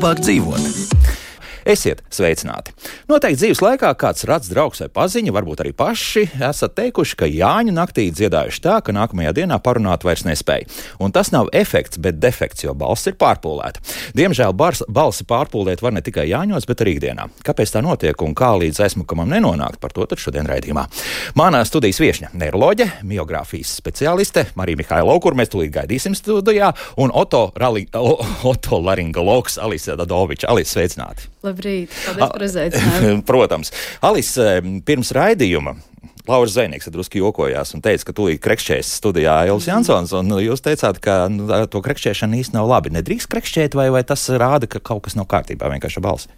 labāk dzīvot. Esiet sveicināti! Noteikti dzīves laikā kāds rads draugs vai paziņa, varbūt arī paši, esat teikuši, ka Jāņu naktī dziedājuši tā, ka nākamajā dienā parunāt vairs nespēja. Un tas nav efekts, bet defekts, jo balss ir pārpūlēta. Diemžēl balsi pārpūlēt var ne tikai Jāņos, bet arī ikdienā. Kāpēc tā notiek un kā līdz aizmukamam nenonākt, par to tad šodien raidījumā. Manā studijas viešņa neiroloģe, miogrāfijas speciāliste Marija Mihailova, kur mēs tūlīt gaidīsim studijā, un otolaringologs Alise Dadoviča. Alise, sveicināti! Labrīt, paldies par uzaicinājumu. Protams. Alise, pirms raidījuma Lauris Zēnieks drusku jokojās un teica, ka tūlīt krekšķēs studijā Ilves Jansons, un jūs teicāt, ka to krekšķēšana īsti nav labi. Nedrīkst krekšķēt, vai tas rāda, ka kaut kas nav kārtībā, vienkārši ar balsi?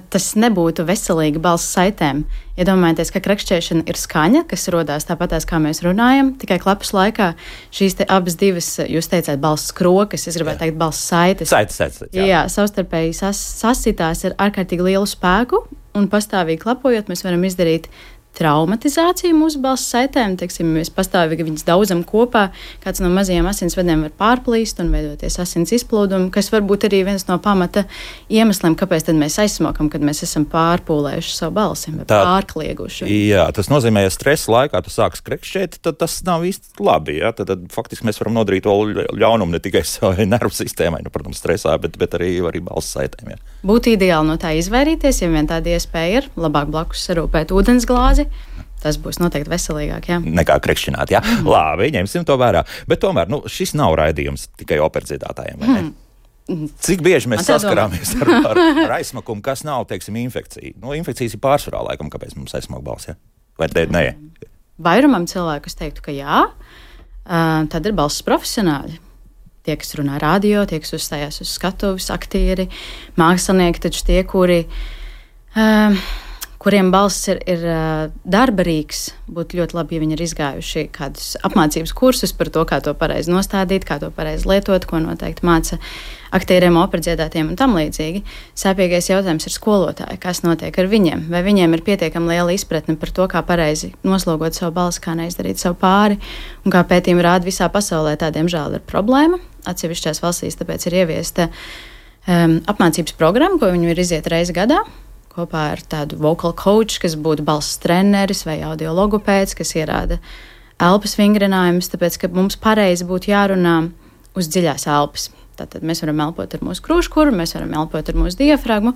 Tas nebūtu veselīgi balss saitēm. Iedomājieties, ka krekšķēšana ir skaņa, kas rodās tāpatās, kā mēs runājam, tikai klapas laikā šīs te abas divas, jūs teicāt, balss krokas, es gribētu teikt balss saites. Saites, jā, savstarpēji sasitās ar ārkārtīgi lielu spēku, un pastāvīgi klapojot, mēs varam izdarīt traumatizāciju mūsu balss saitēm. Teiksim, mēs pastāvīgi viņas daudzam kopā, kāds no mazajiem asinsvadiem var pārplīst un veidoties asins izplūdumu, kas var būt arī viens no pamata iemesliem, kāpēc tad mēs aizsmokam, kad mēs esam pārpūlējuši savu balsi vai pārklieguši. Jā, tas nozīmē, ja stresa laikā tu sāks krekšķēt, tad tas nav īsti labi. Ja? Tad faktiski mēs varam nodarīt vēl ļaunumu ne tikai savai nervu sistēmai, protams, stresā, bet arī balss saitēm. Ja? Būtu ideāli no tā izvairīties, ja vien tāda iespēja ir, labāk blakus sarūpēt ūdens glāzi. Tas būs noteikti veselīgāk, jā. Nekā krekšķināt, jā. Labi, ņemsim to vērā. Bet tomēr, šis nav raidījums tikai operdziedātājiem, vai ne? Cik bieži mēs saskarāmies ar aizsmakumu, kas nav, teiksim, infekcija? Infekcijas ir pārsvarā laikam, kāpēc mums aizsmak balss, jā? Vai te nē? Vairumam cilvēku es teiktu, ka jā. Tad ir balss profesionāļi. Tie, kas runā radio, tie, kas uzstājās uz skatuves, aktieri, mākslinieki, taču tie, kuriem balss ir darba rīks, būtu ļoti labi, ja viņi ir izgājuši kādus apmācības kursus par to, kā to pareizi nostādīt, kā to pareizi lietot, ko noteikti māca aktieriem, operdziedātiem un tam līdzīgi. Sāpīgais jautājums ir skolotāji, kas notiek ar viņiem, vai viņiem ir pietiekami liela izpratne par to, kā pareizi noslogot savu balsi, kā neizdarīt savu pāri, un kā pētījumi rāda visā pasaulē, tā diemžēl ir problēma. Atsevišķās valstīs tāpēc ir ieviesta apmācības programma, ko viņi ir iziet reizi gadā, kopā ar tādu vocal coach, kas būtu balss treneris vai audiologopēds, kas ierāda elpas vingrinājumus, tāpēc, ka mums pareizi būtu jārunā uz dziļās elpas. Tātad mēs varam elpot ar mūsu krūškuru, mēs varam elpot ar mūsu diafragmu.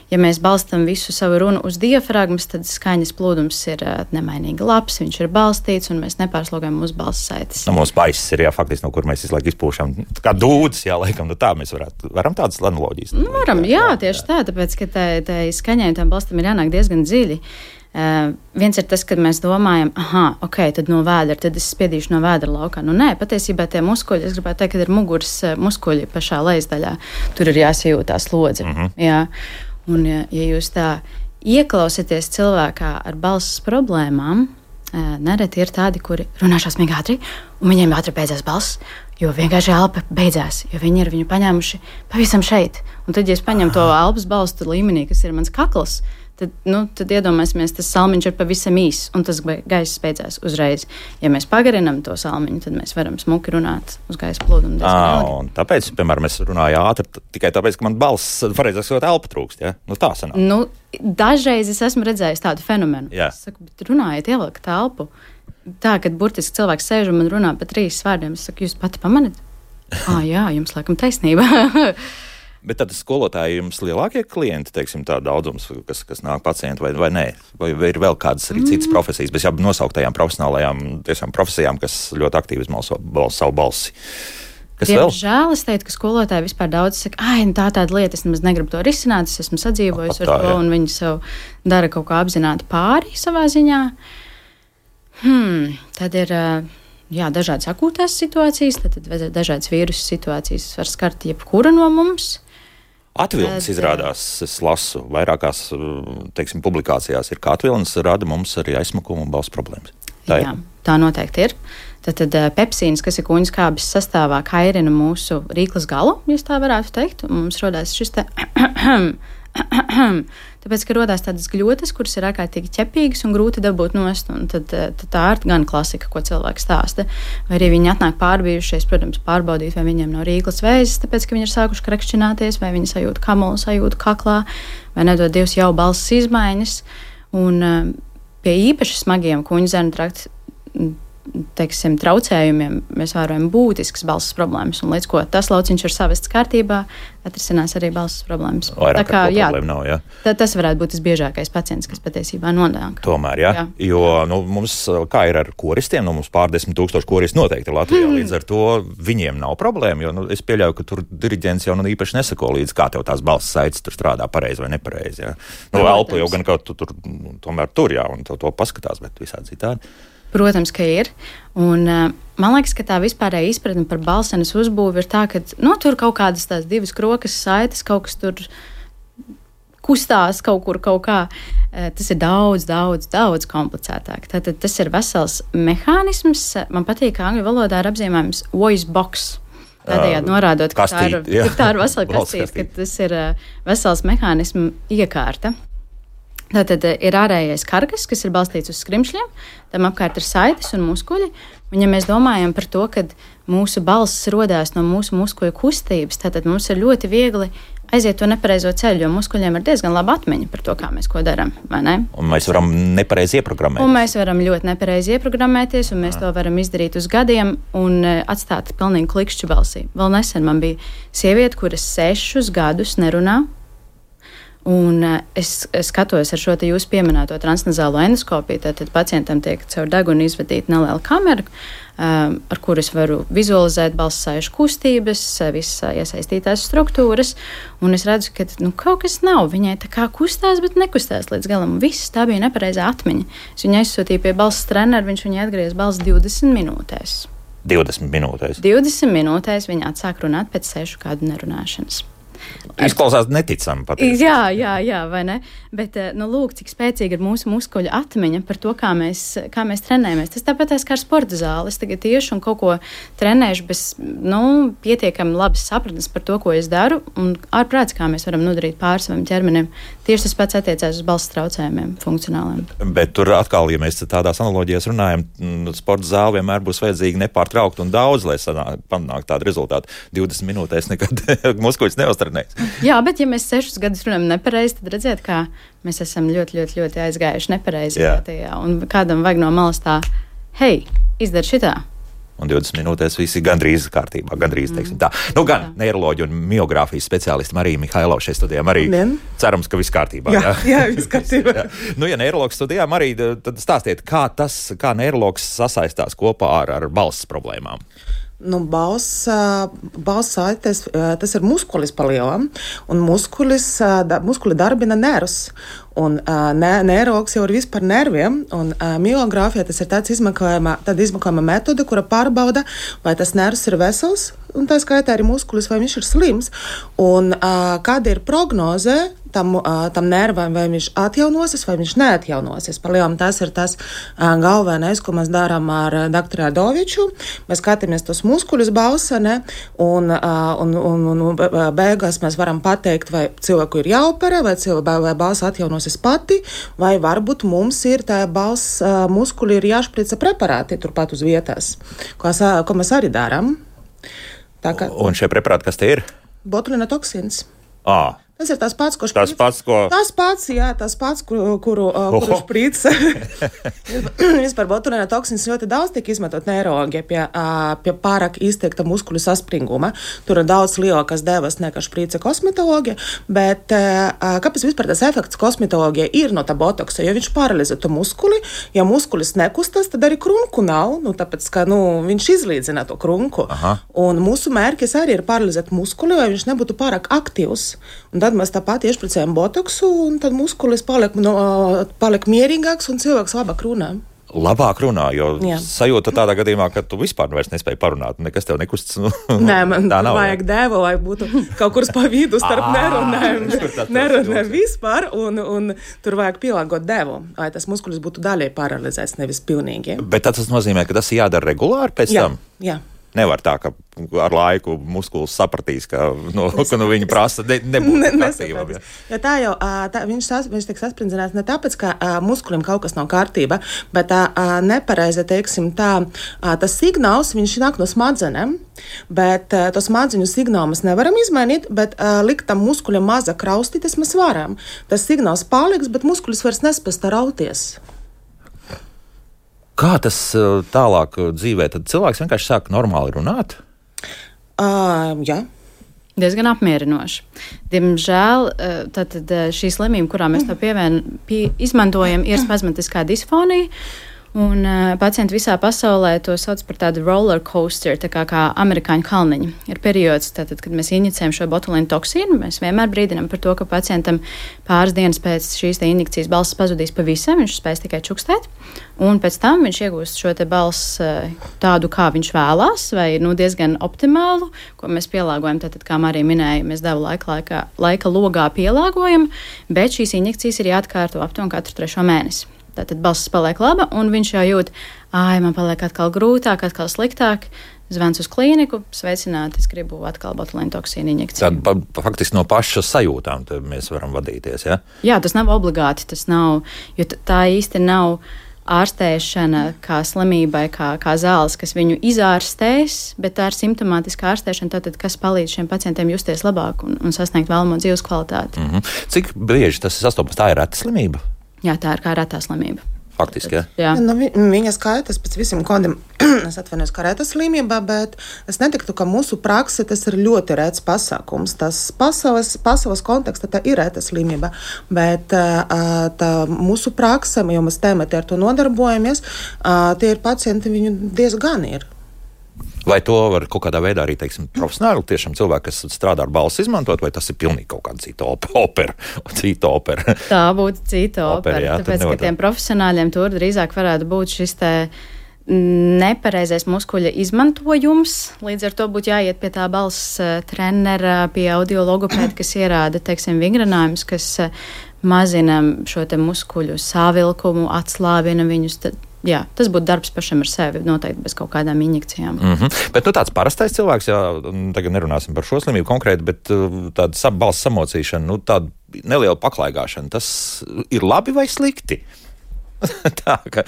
Ja mēs balstam visu savu runu uz diafragmas, tad skaņas plūdums ir nemainīgi labs, viņš ir balstīts un mēs nepārslogājam mūsu balss saites. Mūsu baisis ir, faktiski, no kur mēs visu laiku izpūšam. Kā dūdas, laikam, tā mēs varam tādas analoģijas. Varam, tieši tā, tāpēc, ka tai skaņai un tam balstam ir jānāk diezgan dziļi. Viens ir tas, kad mēs domājam, tad no vēdra, tad es spiedīšu no vēdra laukā. Nē, patiesībā tie muskuļi, es gribētu teikt, ka ir muguras muskuļi pašā lejasdaļā. Tur ir jāsajūtā slodze. Jā. Un ja jūs tā ieklausieties cilvēkā ar balss problēmām, nereti ir tādi, kuri runā šausmīgi ātri, un viņiem ātri beidzās balss, jo vienkārši elpa beidzās, jo viņi ir viņu paņēmuši pavisam šeit. Un tad, ja es paņemu to elpas balstu līmenī, kas ir mans kakls, tad iedomāsimies, tas salmiņš ir pavisam īss, un tas gaiss beidzās uzreiz. Ja mēs pagarinām to salmiņu, tad mēs varam smuki runāt uz gaisa plūdumu. Un tāpēc, piemēram, es runāju ātri tikai tāpēc, ka man balss, pareizāk sakot, elpa trūkst, ja? Tā sanāk. Dažreiz es esmu redzējis tādu fenomenu. Jā. Es saku, bet runājiet, ievelkat elpu. Tā, kad burtiski cilvēks sēž un man runā pa 3 vārdiem, es saku, jūs pati pamanat? Jā, jums laikam taisnība. Bet tad skolotāji jums lielākie klienti, teiksim, tā daudzums, kas nāk pacienti vai nē? Vai ir vēl kādas arī citas profesijas, bez jau nosauktajām profesionālajām tiešām profesijām, kas ļoti aktīvi izmanto savu balsi? Diemžēl es teiktu, ka skolotāji vispār daudz saka, tāda lieta, es nemaz negribu to risināt, es esmu sadzīvojis ar to, un viņi sev dara kaut kā apzināti pāri savā ziņā. Tad ir dažādas akūtās situācijas, tad dažādas vīrusu situācijas var skart jebkura no mums. Atvilnis izrādās, es lasu, vairākās, teiksim, publikācijās ir, ka atvilnis rada mums arī aizsmakumu un balss problēmas. Tā noteikti ir. Tad pepsīns, kas ir kūņu skābes sastāvā, kairina mūsu rīklas galu, ja tā varētu teikt, un mums rodās šis te Tāpēc, ka rodās tādas gļotas, kuras ir ārkārtīgi ķepīgas un grūti dabūt nost, un tad tā ir gan klasika, ko cilvēks stāsta. Vai arī viņi atnāk pārbijušies, protams, pārbaudīt, vai viņiem nav rīklas vēzis, tāpēc, ka viņi ir sākuši krekšķināties, vai viņi sajūt kamulu, sajūt kaklā, vai nedod Dievs jau balss izmaiņas. Un pie īpaši smagiem kuņu zarnu trakta traucējumiem mēs vērojam būtiskas balss problēmas, un līdz ko tas lauciņš ir savests kārtībā, atrisinās arī balss problēmas. Vairāk tā kā problēma nav, jā. Tas varētu būt tas biežākais pacients, kas patiesībā nonāk. Tomēr, jā. Jo mums, kā ir ar koristiem, mums pār 10 000 koristi noteikti Latvijā, līdz ar to viņiem nav problēma, jo es pieļauju, ka tur diriģents jau īpaši nesako līdz, kā tev tās balss saites tur strādā pareizi vai nepareizi, jā. Elpu jau gan kaut tur, tomēr tur, jā, un to paskatās, bet visādi citādi. Protams, ka ir. Un, man liekas, ka tā vispārēja izpratne par balsenes uzbūvi ir tā, ka tur kaut kādas tās divas krokas saites, kaut kas tur kustās kaut kur kaut kā. Tas ir daudz komplicētāk. Tātad tas ir vesels mehānisms. Man patīk, ka angļu valodā ir apzīmējums voice box. Tādējādi norādot, ka tā ir vesela kastīte, ka tas ir vesels mehānismu iekārta. Tātad ir ārējais karkas, kas ir balstīts uz skrimšļiem, tam apkārt ir saites un muskuļi. Un, ja mēs domājam par to, ka mūsu balss rodās no mūsu muskuļu kustības, tad mums ir ļoti viegli aiziet to nepareizo ceļu, jo muskuļiem ir diezgan laba atmiņa par to, kā mēs ko darām, vai ne? Un mēs varam nepareizi ieprogrammēties. Un mēs varam ļoti nepareizi ieprogrammēties, un mēs to varam izdarīt uz gadiem un atstāt pilnīgi klikšķu balsī. Vēl nesen man bija sieviete, kuras 6 gadus nerunā. Un es skatos ar šo te jūsu pieminēto transnazālo endoskopiju, tad pacientam tiek caur degunu izvadīta neliela kamera, ar kuru es varu vizualizēt balss saišu kustības, visas iesaistītās struktūras, un es redzu, ka kaut kas nav. Viņai tā kā kustās, bet nekustās līdz galam. Viss tā bija nepareizā atmiņa. Es viņu aizsūtīju pie balss trenera, viņš viņai atgriez balss 20 minūtēs. 20 minūtēs? 20 minūtēs viņa atsāk runāt pēc 6 gadu nerunāšanas. Izklausās neticami patiesībā. Jā, vai ne? Bet, lūk, cik spēcīga ir mūsu muskuļu atmiņa par to, kā mēs trenējamies. Tas tāpat kā ar sporta zāli. Es tagad tieši un kaut ko trenēšu bez, pietiekami labas sapratnes par to, ko es daru, un ārprāts, kā mēs varam nodarīt pāri savam ķermenim. Tieši tas pats attiecās uz balss traucējumiem, funkcionāliem. Bet tur atkal, ja mēs tādās analoģijās runājam, sporta zāli vienmēr būs vajadzīgi nepārtraukt un daudz, lai panāktu tādu rezultātu. 20 minūtēs nekad muskuļus neuztrenēs. Jā, bet ja mēs 6 gadus runājam nepareizi, tad redziet, kā mēs esam ļoti aizgājuši nepareizi. Un kādam vajag no malas tā, hei, izdari šitā. Un 20 minūtēs viss ir gandrīz kārtībā, teiksim tā. Gan neiroloģi un miogrāfijas speciālisti Marija Mihailova šeit studijām arī cerams, ka viss kārtībā. Jā, viss kārtībā. Ja neiroloģis studijā, Marija, tad stāstiet, kā neiroloģis sasaistās kopā ar balss problēmām. Balss saites, tas ir muskulis palielam, un muskuli darbina nervus. Un neirologs jau ir vispār nerviem, un miogrāfija tas ir tāda izmeklējuma metode, kura pārbauda, vai tas nervs ir vesels, un tā skaitā arī muskulis, vai viņš ir slims, un kāda ir prognoze tam nervam, vai viņš atjaunosies, vai viņš neatjaunosies. Palielam tas ir tas galvenais, ko mēs darām ar doktoru Adoviču. Mēs skatāmies tos muskuļus balsa, un beigās mēs varam pateikt, vai cilvēku ir jāoperē, vai balsa atjaunosies pati, vai varbūt mums ir tā balss muskuļi ir jāšprica preparāti turpat uz vietās, ko mēs arī darām. Un šie preparāti, kas te ir? Botulina toksins. Tas ir tas pats, kuru šprīca. Vispār botulina toksins ļoti daudz tiek izmantot neiroloģijā pie pārāk izteikta muskuļu saspringuma. Tur ir daudz lielākas devas nekā šprīca kosmetoloģija, bet kāpēc vispār tas efekts kosmetoloģija ir no tā botoksa? Jo viņš paralizē to muskuli, ja muskulis nekustas, tad arī krunku nav, tāpēc, ka viņš izlīdzina to krunku. Aha. Un mūsu mērķis arī ir paralizēt muskuli, lai viņš nebūtu pārāk aktīvs. Un tad mēs tāpat iešpricējam botoksu, un tad muskulis paliek mierīgāks, un cilvēks labāk runā. Labāk runā, jo sajūta tādā gadījumā, ka tu vispār vairs nespēji parunāt, nekas tev nekustas. Nē, man vajag devu, lai būtu kaut kur pa vidu starp nerunēm vispār, un tur vajag pielāgot devu, lai tas muskulis būtu daļai paralizēts, nevis pilnīgi. Bet tas nozīmē, ka tas jādara regulāri pēc tam? Jā. Nevar tā, ka ar laiku muskulis sapratīs, ka viņi prasa nebūt kārtībā. Ja tā jau, viņš tiek sasprindzinās ne tāpēc, ka muskulim kaut kas nav kārtība, bet nepareizi, teiksim, tas signāls, viņš nāk no smadzenēm, bet to smadzeņu signālu mēs nevaram izmainīt, bet likt tam muskuļam mazāk raustīties mēs varam. Tas signāls paliks, bet muskulis vairs nespēs tā rauties. Kā tas tālāk dzīvē? Tad cilvēks vienkārši sāk normāli runāt? Jā. Diezgan apmierinoši. Diemžēl šī slimība, kurā mēs to izmantojam, ir spazmatiskā disfonija. Un pacienti visā pasaulē to sauc par tādu roller coaster, tā kā amerikāņu kalniņu. Ir periods, kad mēs injicējam šo botulīnu toksīnu, mēs vienmēr brīdinām par to, ka pacientam pāris dienas pēc šīs injekcijas balss pazudīs pavisam, viņš spēs tikai čukstēt, un pēc tam viņš iegūst šo te balss tādu, kā viņš vēlās, vai diezgan optimālu, ko mēs pielāgojam, kā Marija minēja, mēs devu laika logā pielāgojam, bet šīs injekcijas ir jāatkārto aptuveni katru 3. mēnesi. Tātad balss paliek laba, un viņš jau jūt, man paliek atkal grūtāk, atkal sliktāk. Zvans uz klīniku, sveicināti, es gribu atkal botulīnu toksīnu injekciju. Tad faktiski no paša sajūtām mēs varam vadīties, ja? Jā, tas nav obligāti, tas nav, jo tā īsti nav ārstēšana kā slimībai, kā zāles, kas viņu izārstēs, bet tā ir simptomātiska ārstēšana, tātad, kas palīdz šiem pacientiem justies labāk un sasniegt vēlamo dzīves kvalitāti. Cik bieži tas sastopas? Tā ir reta slimība? Jā, tā ir kā retā slimība. Faktiski, jā. Viņa skaitas pēc visiem kodiem, es atvainojos, kā reta slimība, bet es netiktu, ka mūsu prakse tas ir ļoti rets pasākums. Tas pasaules kontekstā tā ir reta slimība, bet tā mūsu prakse, jo mēs tēmēti ar to nodarbojamies, tie ir pacienti, viņu diezgan ir. Vai to var kaut kādā veidā arī, teiksim, profesionāli tiešām cilvēki, kas strādā ar balsi izmantot, vai tas ir pilnīgi kaut kāda cita opera? Tā būtu cita opera, tāpēc, ka tiem profesionāļiem tur drīzāk varētu būt šis te nepareizais muskuļa izmantojums, līdz ar to būtu jāiet pie tā balss trenera, pie audiologopēda, kas ierāda, teiksim, vingrinājumus, kas mazina šo te muskuļu sāvilkumu, atslābina viņus. Jā, tas būtu darbs pašam ar sevi, noteikti bez kaut kādām injekcijām. Bet tāds parastais cilvēks, jā, tagad nerunāsim par šo slimību konkrēti, bet tāda balss samocīšana, tāda neliela paklaigāšana, tas ir labi vai slikti? Tā, ka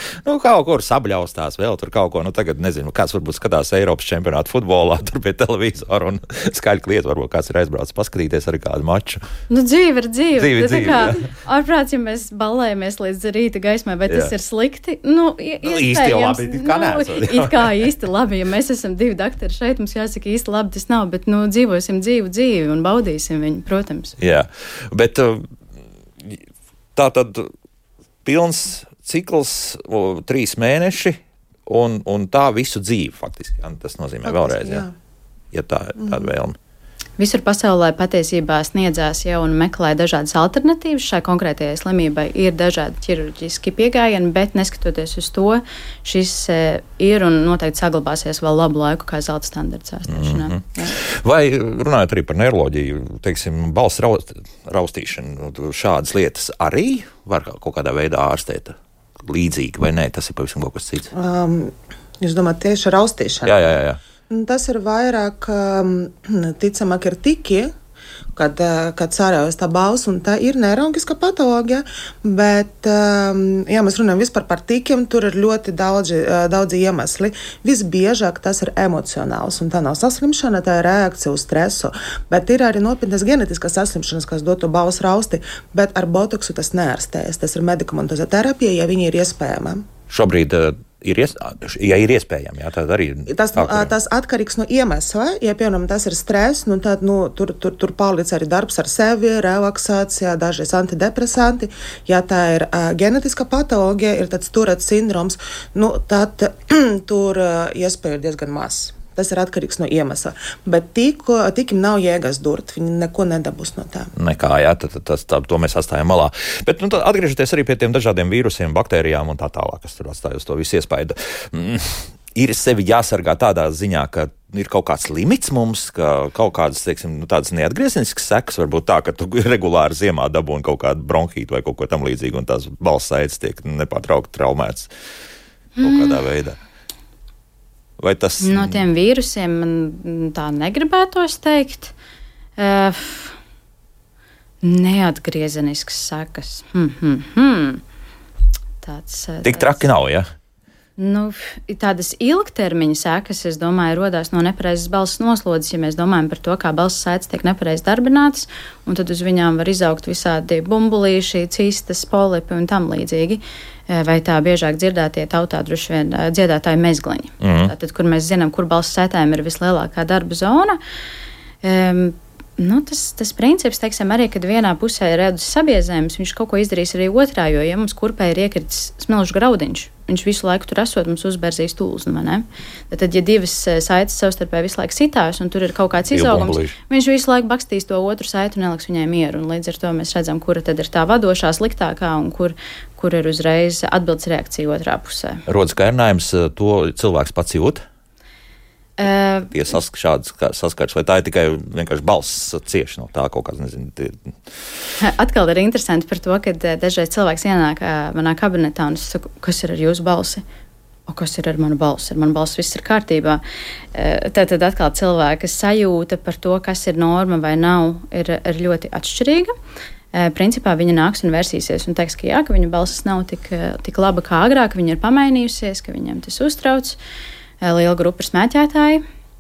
kaut kur sabļaustās vēl tur kaut ko, tagad nezinu, kāds varbūt skatās Eiropas čempionātu futbolā, tur pie televizora un skaļi kliet, varbūt kāds ir aizbraucis paskatīties arī kādu maču. Dzīve ir dzīve. Tā kā, ārprāts, ja mēs ballējamies līdz rīta gaismai, vai tas ir slikti? Īsti jau labi, it kā īsti labi, ja mēs esam 2 doktori šeit, mums jāsaka īsti labi tas nav, bet dzīvosim dzīvi un baudīsim viņu, protams. Jā, bet tā tad pilns cikls 3 mēneši un tā visu dzīvi faktiski. Tas nozīmē vēlreiz, ja tā ir tāda vēlme. Visur pasaulē patiesībā sniedzās jau un meklē dažādas alternatīvas. Šai konkrētajai slimībai ir dažādi ķirurģiski pieejami, bet neskatoties uz to, šis ir un noteikti saglabāsies vēl labu laiku kā zelta standarts ārstēšanā. Vai runājot arī par neiroloģiju, teiksim, balss raustīšanu, šādas lietas arī var kaut kādā veidā ārstēt līdzīgi, vai nē, tas ir pavisam kaut kas cits? Jūs domājat tieši raustīšanu? Jā. Tas ir vairāk, ticamāk, ir tiki, kad sāraujas tā balss, un tā ir neiroloģiska patoloģija, bet, ja mēs runājam vispār par tikiem, tur ir ļoti daudzi iemesli. Visbiežāk tas ir emocionāls, un tā nav saslimšana, tā ir reakcija uz stresu, bet ir arī nopietnas genetiskas saslimšanas, kas dod to balss rausti, bet ar botoksu tas neārstējas. Tas ir medikamentozā terapija, ja viņi ir iespējama. Šobrīd ja ir iespējami, jā, tad arī... Tas atkarīgs no iemesla. Ja, piemēram, tas ir stress, tad tur paliec arī darbs ar sevi, relaksācija, dažreiz antidepresanti. Ja tā ir genetiska patoloģija, ir tāds Turets sindroms, tad tur iespēja ir diezgan maz. Tas ir atkarīgs no iemesla. Bet tikim nav jēgas durt. Viņi neko nedabūs no tā. Nekā, jā, to mēs atstājam malā. Bet atgriežoties arī pie tiem dažādiem vīrusiem, baktērijām un tā tālāk, kas tur atstāj uz to visu iespaidu. Ir sevi jāsargā tādā ziņā, ka ir kaut kāds limits mums, ka kaut kādas, teiksim, tādas neatgriezeniskas sekas, varbūt tā, ka tu regulāri ziemā dabūni kaut kādu bronhītu vai kaut ko tam līdzīgu, un tās balss aitas tiek nepārtraukti traumētas kaut kādā veidā. Vai tas... No tiem vīrusiem man tā negribētos teikt. Neatgriezeniskas sekas. Tik traki nav, ja? Nu, tādas ilgtermiņa sekas, es domāju, rodās no nepareizas balss noslodzes, ja mēs domājam par to, kā balss saites tiek nepareizi darbinātas, un tad uz viņām var izaugt visādi bumbulīši, cistas, polipi un tam līdzīgi. Vai tā biežāk dzirdētie tautā droši vien dziedātāji mezgliņi. Tātad, kur mēs zinām, kur balss saitēm ir vislielākā darba zona. Tas princips, teiksim, arī, kad vienā pusē ir redus sabiezējums, viņš kaut ko izdarīs arī otrā, jo, ja mums kurpē ir iekritis smilšu graudiņš, viņš visu laiku tur esot, mums uzberzīs tūlznu, vai ne? Tad, ja divas saites savstarpēji visu laiku sitās, un tur ir kaut kāds izaugums, viņš visu laiku bakstīs to otru saitu un neliks viņai mieru, un līdz ar to mēs redzam, kura tad ir tā vadošā, sliktākā, un kur ir uzreiz atbildes reakcija otrā pusē. Rodas kairinājums, to cilvēks pats jūt? Šāds saskars, vai tā ir tikai vienkārši balss cieši no tā kaut kāds, nezinu. Atkal ir interesanti par to, ka dažreiz cilvēks ienāk manā kabinetā un es saku, kas ir ar jūsu balsi? Kas ir ar manu balsi? Ar manu balsi viss ir kārtībā. Tad atkal cilvēka sajūta par to, kas ir norma vai nav, ir ļoti atšķirīga. Principā viņa nāks un versīsies un teiks, ka jā, ka viņa balsis nav tik laba kā agrāk, viņa ir pamainījusies, ka viņam tas uztrauc. Liela grupa ir smēķētāji,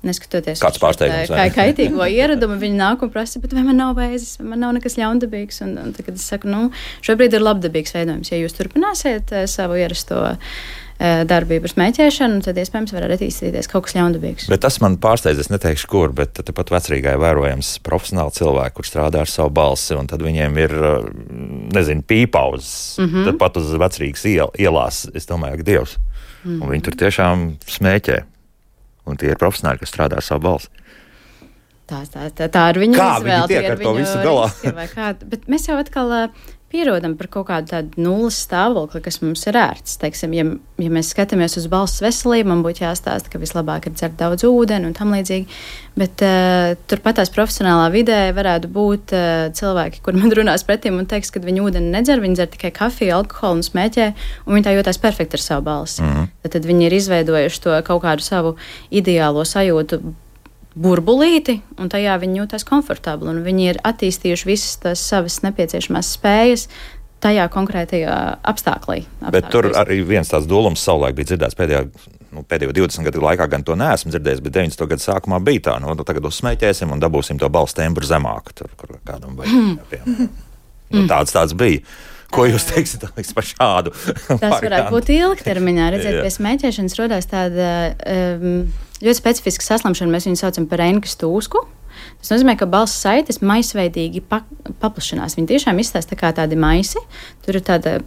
neskatoties kāds pārsteigums, kā kaitīgo ieradumu, viņi nāk un prasa, bet vai man nav vēzis, vai man nav nekas ļaundabīgs, un tagad es saku, šobrīd ir labdabīgs veidojums, ja jūs turpināsiet savu ierasto darbību ar smēķēšanu, tad iespējams var attīstīties kaut kas ļaundabīgs. Bet tas man pārsteidz, es neteikšu kur, bet tepat Vecrīgā ir vērojams profesionāli cilvēki, kur strādā ar savu balsi, un tad viņiem ir, pīpauzes, tad pat uz Vecrīgas ielās, es domāju, ka Dievs. Un viņi tur tiešām smēķē. Un tie ir profesionāļi, kas strādā ar savu balsi. Tā ir viņa izvēle. Kā viņi tiek ar to visu galā? Bet mēs jau atkal pierodam par kaut kādu tādu nulles stāvokli, kas mums ir ērts. Teiksim, ja mēs skatāmies uz balss veselību, man būtu jāstāsta, ka vislabāk ir dzert daudz ūdeni un tam līdzīgi. Bet turpatās profesionālā vidē varētu būt cilvēki, kur man runās pretim un teiks, ka viņi ūdeni nedzer, viņi dzer tikai kafiju, alkoholu un smēķē, un viņi tā jūtās perfekti ar savu balsi. Tad viņi ir izveidojuši to kaut kādu savu ideālo sajūtu burbulīti, un tajā viņi jūtas komfortabli, un viņi ir attīstījuši visas tās savas nepieciešamās spējas tajā konkrētajā apstāklī. Bet tur arī viens tāds dūlums savulaik bija dzirdēts pēdējo 20 gadu laikā, gan to neesmu dzirdējis, bet 90. gadu sākumā bija tā, tagad uzsmēķēsim un dabūsim to balss tembru zemāku, tur, kur kādam vajag. Tāds bija. Ko jūs teiksiet par šādu? Tas varētu būt ilgtermiņā. Redzēt, pie smēķēšanas rodās tāda ļoti specifiska saslimšana, mēs viņu saucam par Reinkas tūsku. Tas nozīmē, ka balss saites maisveidīgi paplašinās. Viņi tiešām izstāsta tā kā tādi maisi. Tur ir tāda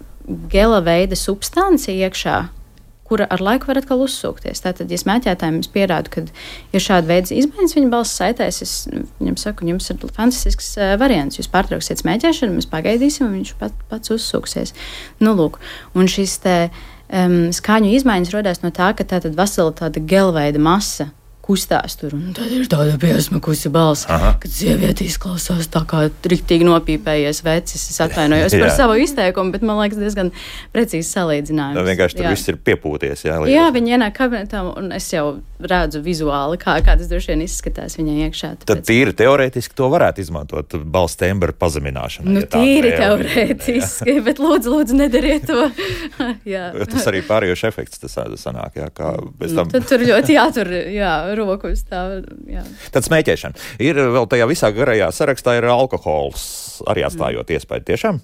gela veida substancija iekšā, kura ar laiku var atkal uzsūkties. Tātad, ja smēķētājiem es pierādu, ka ir šāda veida izmaiņas viņa balss saitēs, es viņam saku, jums ir fantastisks variants. Jūs pārtrauksiet smēķēšanu, mēs pagaidīsim, un viņš pats uzsūksies. Lūk, un šis skaņu izmaiņas rodās no tā, ka tātad vesela tāda gelveida masa kustās tur, un tad ir tāda piesmakusi balss, kad sieviete izklausās tā kā riktīgi nopīpējies vecis. Es atvainojos par savu izteikumu, bet man liekas diezgan precīzi salīdzinājums. Vienkārši tur viss ir piepūties. Jā, viņi ienāk kabinetā, un es jau redzu vizuāli, kā tas droši vien izskatās viņai iekšā. Tad tīri teorētiski to varētu izmantot balss tembra pazemināšanai. Tīri teorētiski, bet lūdzu nedariet to. Tas arī pārējošs efekts tas sanāk, kā bez tam. Tad tur ļoti jātur, roku uz tā. Tad smēķēšana. Ir vēl tajā visā garajā sarakstā ir alkohols, arī atstājot iespēju tiešām?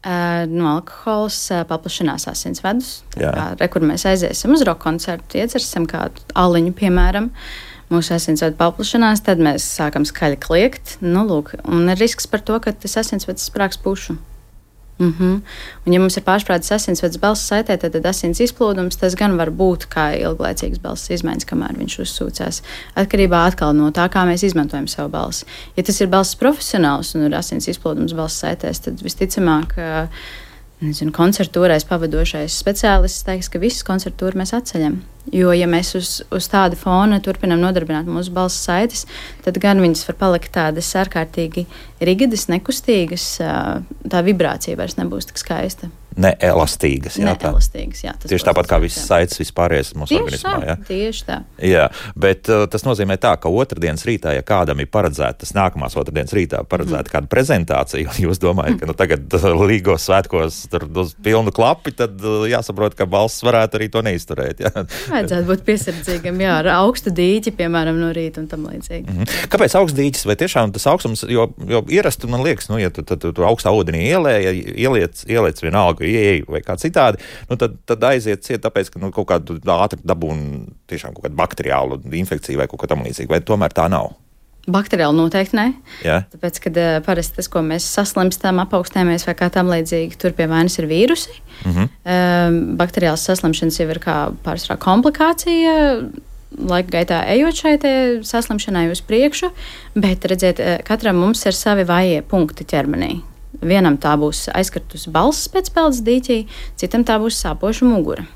Alkohols paplašinās asinsvedus. Kur mēs aiziesim uz roka koncertu, iedzersim kādu aliņu, piemēram. Mūsu asinsvedu paplašinās, tad mēs sākam skaļi kliegt. Un ir risks par to, ka tas asinsvedis sprāgs pušu. Un, ja mums ir pārsprādzes asinsvads balss saitē, tad asins izplūdums, tas gan var būt kā ilglaicīgas balss izmaiņas, kamēr viņš uzsūcās. Atkarībā atkal no tā, kā mēs izmantojam savu balsi. Ja tas ir balss profesionāls un ir asins izplūdums balss saitēs, tad visticamāk, koncertūrais pavadošais speciālists teiks, ka visu koncertūru mēs atceļam. Jo, ja mēs uz tādu fona turpinām nodarbināt mūsu balss saites, tad gan viņas var palikt tādas ārkārtīgi rigidas, nekustīgas, tā vibrācija vairs nebūs tik skaista. Neelastīgas, jā. Neelastīgas, jā. Tieši tāpat kā visas saites vispārējais mūsu organismā, jā. Tieši tā. Jā, bet tas nozīmē tā, ka otrdienas rītā, ja kādam ir paredzēta, tas nākamās otrdienas rītā paredzēta kāda prezentācija, un jūs domājat, ka tagad līgos svētkos tur uz pilnu klapi, tad jāsaprot, ka balss varētu arī to neizturēt, jā. Vajadzētu būt piesardzīgam, jā, ar augstu dīķi, piemēram, no rīta un tam līdzīgi. Kāpēc augsts dīķis? Vai tiešām tas augstums, jo ierasti, man liekas, ja tu augstā ūdenī ieliec vienalga, ieej vai kā citādi, tad aiziet ciet, tāpēc, ka kaut kādu ātri dabūna tiešām kaut kādu bakteriālu infekciju vai kaut kā tam līdzīgi, vai tomēr tā nav? Bakteriāli noteikti ne. Jā. Tāpēc, kad parasti tas, ko mēs saslimstam, apaugstējamies vai kā tam līdzīgi, tur pie vainas ir vīrusi. Bakteriāls saslimšanas jau ir kā pārsvarā komplikācija, laika gaitā ejot šai saslimšanai uz priekšu, bet, redziet, katram mums ir savi vājie punkti ķermenī. Vienam tā būs aizkartusi balss pēc peldes dīķī, citam tā būs sāpoša mugura.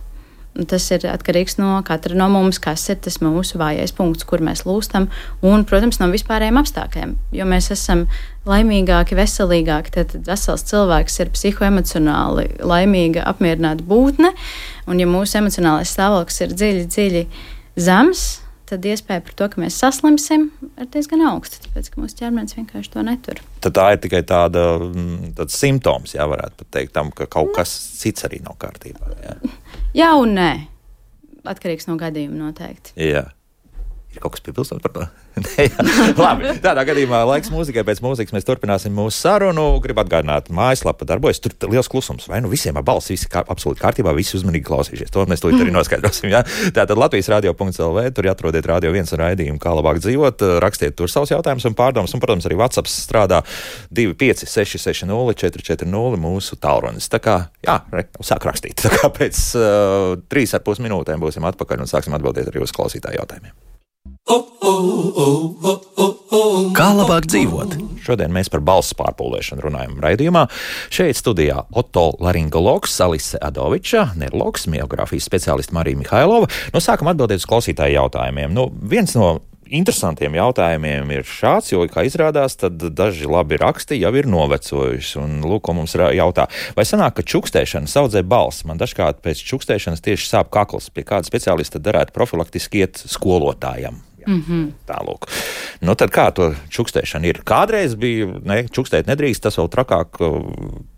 Un tas ir atkarīgs no katra no mums, kas ir tas mūsu vājais punkts, kur mēs lūstam, un, protams, no vispārējiem apstākļiem. Jo mēs esam laimīgāki, veselīgāki, tad vesels cilvēks ir psihoemocionāli laimīga, apmierināta būtne, un ja mūsu emocionālais stāvoklis ir dziļi zems, tad iespēja par to, ka mēs saslimsim, ir diezgan augsta, tāpēc, ka mūsu ķermenis vienkārši to netur. Tad tā ir tikai tāds simptoms, jā, varētu pat teikt tam, ka kaut kas cits arī nav kārtībā. Jā, jā un nē. Atkarīgs no gadījuma noteikti. Jā. Ir kaut kas piebilstot par to? Labi, tādā gadījumā laiks mūzikai. Pēc mūzikas mēs turpināsim mūsu sarunu. Gribu atgādināt, mājaslapa darbojas. Tur liels klusums. Vai nu visiem ar balsi, visi absolūti kārtībā, visi uzmanīgi klausīsies. To mēs tūlīt arī noskaidrosim. Ja? Tātad Latvijas radio.lv, tur atrodiet Radio 1 raidījumu, kā labāk dzīvot. Rakstiet tur savus jautājumus un pārdomas. Un, protams, arī WhatsApp strādā 25660 440 mūsu tālrunis. Tā kā, jā, sāk rakstīt. Tā kā pēc 3,5 minūtēm būsim atpakaļ un sāksim atbildēt arī uz klausītāju jautājumiem. Kā labāk dzīvot? Šodien mēs par balss pārpūlēšanu runājam raidījumā. Šeit studijā otolaringologs Alise Adoviča, neirologs, miogrāfijas speciāliste Marija Mihailova. Sākam atbildēt uz klausītāju jautājumiem. Viens no interesantiem jautājumiem ir šāds, jo, kā izrādās, tad daži labi raksti jau ir novecojuši. Un, lūk, ko mums jautā, vai sanāk, ka čukstēšana saudzē balsi? Man dažkārt pēc čukstēšanas tieši sāp kakls. Pie kāda speciālista darētu profilaktiski iet skolotājam? Tālūk. Tad kā to čukstēšana ir? Kādreiz bija, čukstēt nedrīkst, tas vēl trakāk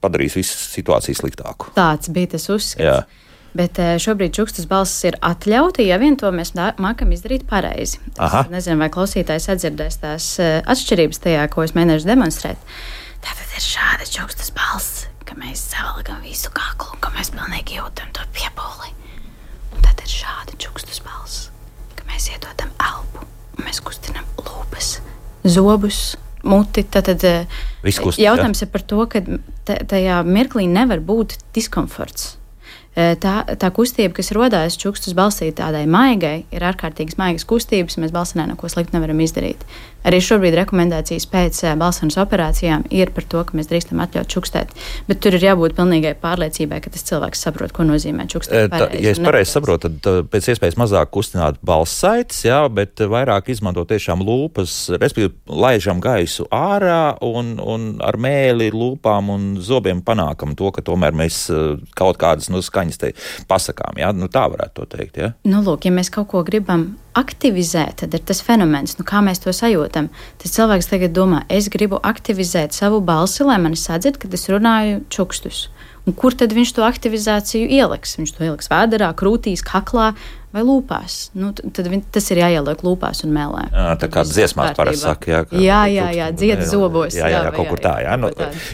padarīs visu situāciju sliktāku. Tāds bija tas uzskats. Jā. Bet šobrīd čukstas balss ir atļauti, ja vien to mēs mākam izdarīt pareizi. Es nezinu, vai klausītājs atdzirdēs tās atšķirības tajā, ko es mēģināšu demonstrēt. Tātad ir šāda čukstas balss, ka mēs savalgam visu kaklu, ka mēs pilnīgi jūtam to piepūli. Un tad ir šāda čukstas balss, ka mēs iedodam elpu, un mēs kustinam lūpas, zobus, muti. Tātad jautājums ir par to, ka tajā mirklī nevar būt diskomforts. Tā kustība, kas rodās čukstas balsī tādai maigai, ir ārkārtīgi maigas kustības, un mēs balsinē neko sliktu nevaram izdarīt. Arī šobrīd rekomendācijas pēc balsenas operācijām ir par to, ka mēs drīkstam atļaut čukstēt, bet tur ir jābūt pilnīgai pārliecībai, ka tas cilvēks saprot, ko nozīmē čukstēt pareizi. Ja es pareizi saprotu, tad pēc iespējas mazāk kustināt balss saites, jā, bet vairāk izmanto tiešām lūpas, respektīvi laižam gaisu ārā un ar mēli, lūpām un zobiem panākam to, ka tomēr mēs kaut kādas skaņas te pasakām, jā, tā varētu to teikt, jā? Lūk, ja mēs kaut ko gribam aktivizēt, tad ir tas fenomens, kā mēs to sajūtam. Tas cilvēks tagad domā, es gribu aktivizēt savu balsi, lai mani sadzird, kad es runāju čukstus. Un kur tad viņš to aktivizāciju ieliks? Viņš to ieliks vēderā, krūtīs, kaklā vai lūpās. Tad tas ir jāieliek lūpās un mēlē. Tā kā dziesmās parasti saka, jā, dzied zobos. Jā, kaut kur tā, jā.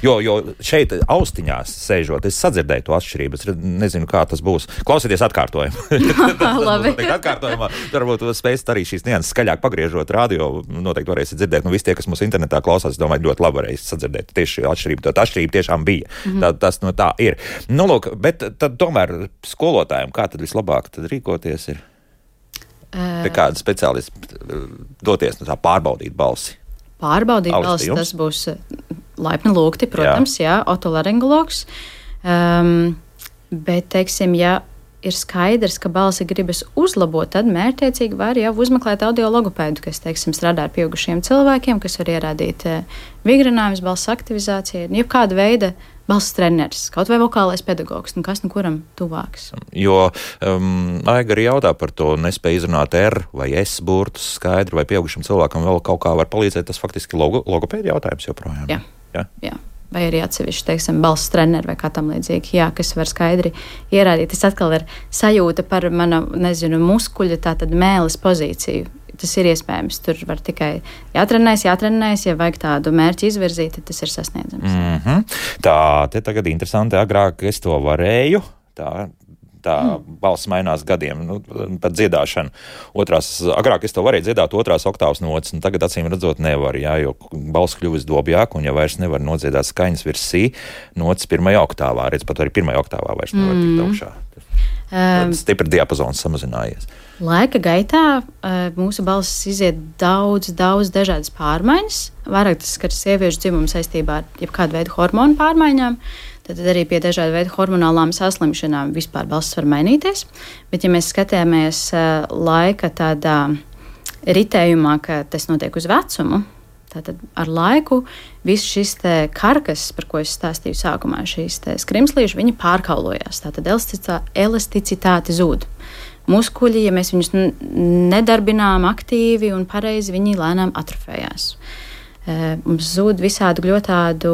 Jo šeit austiņās sēžot, es sadzirdēju to atšķirību, es nezinu, kā tas būs. Klausieties atkārtojumu. Labi. Atkārtojumā, varbūt spēsit arī šīs nianses skaļāk pagriežot radio, noteikti varēsiet dzirdēt. Visi tie, kas mūsu internetā klausās, domāju, ļoti labi varēs sadzirdēt tieši atšķirību. Tā atšķirība tiešām bija. Tas tā ir. Lūk, bet tad tomēr skolotājiem, kā tad vislabāk tad rīkoties ir? Pie kāda speciālista doties tā pārbaudīt balsi? Pārbaudīt balsi, tas būs laipni lūgti, protams, jā otolaringologs. Bet, teiksim, ja ir skaidrs, ka balsi gribas uzlabot, tad mērķtiecīgi var jau uzmeklēt audiologopēdu, kas, teiksim, strādā ar pieaugušiem cilvēkiem, kas var ierādīt vigrinājumus, balss aktivizāciju, jebkāda veida balss treneris, kaut vai vokālais pedagogs, kas kuram tuvāks. Jo Aiga arī jautā par to, nespēja izrunāt R vai S burtus skaidri, vai pieaugušam cilvēkam vēl kaut kā var palīdzēt, tas faktiski logopēdi jautājums joprojām. Jā. Vai arī atsevišķi, teiksim, balss treneri vai kā tam līdzīgi, kas var skaidri ierādīt. Tas atkal ir sajūta par mana, muskuļa, tātad mēles pozīciju. Tas ir iespējams. Tur var tikai jātrenējas, ja vajag tādu mērķi izvirzīt, tad tas ir sasniedzams. Tā, te tagad interesanti, agrāk es to varēju, tā balss mainās gadiem, pat dziedāšana. Agrāk es to varēju dziedāt 2. oktāvas nots, un tagad acīm redzot nevar, jo balss kļuvis dobjāk, un ja vairs nevar nodziedāt skaņas virs si, nots 1. oktāvā, pat arī 1. oktāvā vairs nevar tikt augšā. Tad stipri diapazons samazinājies. Laika gaitā mūsu balss iziet daudz dažādas pārmaiņas. Vairāk tas skar sieviešu dzimumu saistībā ar jebkādu veidu hormonu pārmaiņām. Tad arī pie dažādu veidu hormonālām saslimšanām vispār balss var mainīties. Bet, ja mēs skatāmies laika tādā ritējumā, ka tas notiek uz vecumu, tātad ar laiku viss šis karkas, par ko es stāstīju sākumā, šīs skrimslīši, viņi pārkaulojās. Tātad elasticitāte zūd. Muskuļi, ja mēs viņus nedarbinām aktīvi un pareizi, viņi lēnām atrofējās. Mums zūd visādu gļotādu,